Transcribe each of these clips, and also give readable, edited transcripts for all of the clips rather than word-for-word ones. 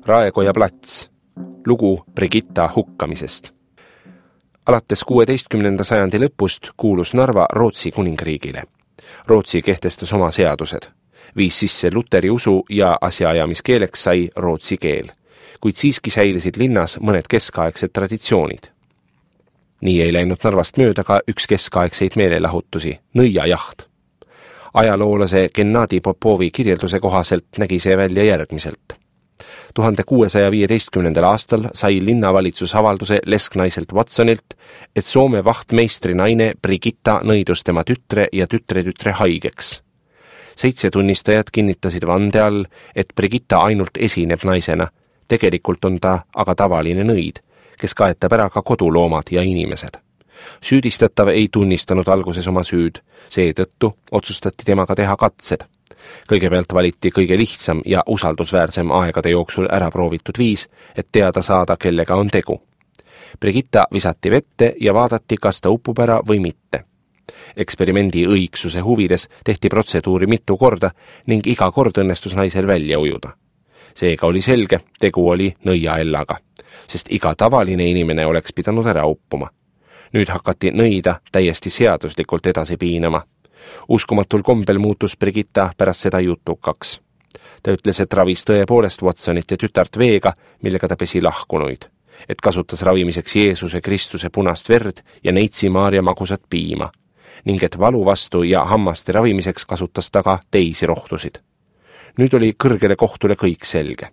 Raekoja plats. Lugu Brigitta hukkamisest. Alates 16. sajandi lõpust kuulus Narva Rootsi kuningriigile. Rootsi kehtestas oma seadused. Viis sisse luteri usu ja asjaajamiskeeleks sai rootsi keel, kuid siiski säilisid linnas mõned keskaegsed traditsioonid. Nii ei läinud Narvast mööda ka üks keskaegseid meelelahutusi, nõiajaht. Ajaloolase Gennadi Popovi kirjelduse kohaselt nägi see välja järgmiselt. 1615. aastal sai linnavalitsus avalduse lesknaiselt Watsonilt, et Soome vahtmeistri naine Brigitta nõidus tema tütre ja tütre haigeks. 7 tunnistajat kinnitasid vande all, et Brigitta ainult esineb naisena, tegelikult on ta aga tavaline nõid, kes kaetab ära ka koduloomad ja inimesed. Süüdistatav ei tunnistanud alguses oma süüd, seetõttu otsustati temaga teha katsed. Kõigepealt valiti kõige lihtsam ja usaldusväärsem aegade jooksul ära proovitud viis, et teada saada, kellega on tegu. Brigitta visati vette ja vaadati, kas ta upub ära või mitte. Eksperimendi õigsuse huvides tehti protseduuri mitu korda ning iga kord õnnestus naisel välja ujuda. Seega oli selge, tegu oli nõiaellaga, sest iga tavaline inimene oleks pidanud ära uppuma. Nüüd hakati nõida täiesti seaduslikult edasi piinama. Uskumatul kombel muutus Brigitta pärast seda jutukaks. Ta ütles, et ravis tõepoolest Watsonit ja tütart veega, millega ta pesi lahkunuid, et kasutas ravimiseks Jeesuse Kristuse punast verd ja Neitsi Maarja magusat piima, ning et valu vastu ja hammaste ravimiseks kasutas ta ka teisi rohtusid. Nüüd oli kõrgele kohtule kõik selge.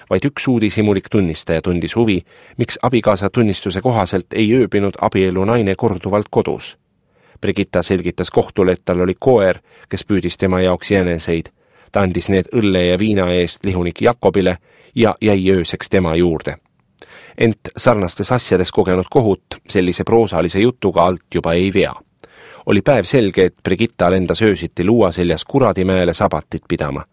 Vaid üks uudishimulik tunnistaja tundis huvi, miks abikaasa tunnistuse kohaselt ei ööbinud abielu naine korduvalt kodus. Brigitta selgitas kohtule, et tal oli koer, kes püüdis tema jaoks jäneseid. Ta andis need õlle ja viina eest lihunik Jakobile ja jäi ööseks tema juurde. Ent sarnastes asjades kogenud kohut sellise proosalise jutuga alt juba ei vea. Oli päev selge, et Brigitta lendas öösiti luua seljas Kuradimäele sabatit pidama.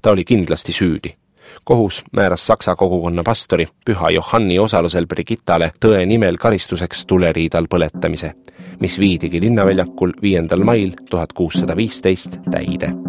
Ta oli kindlasti süüdi. Kohus määras Saksa kogukonna pastori Püha Johanni osalusel Brigittale tõe nimel karistuseks tuleriidal põletamise, mis viidigi linnaväljakul 5. mail 1615 täide.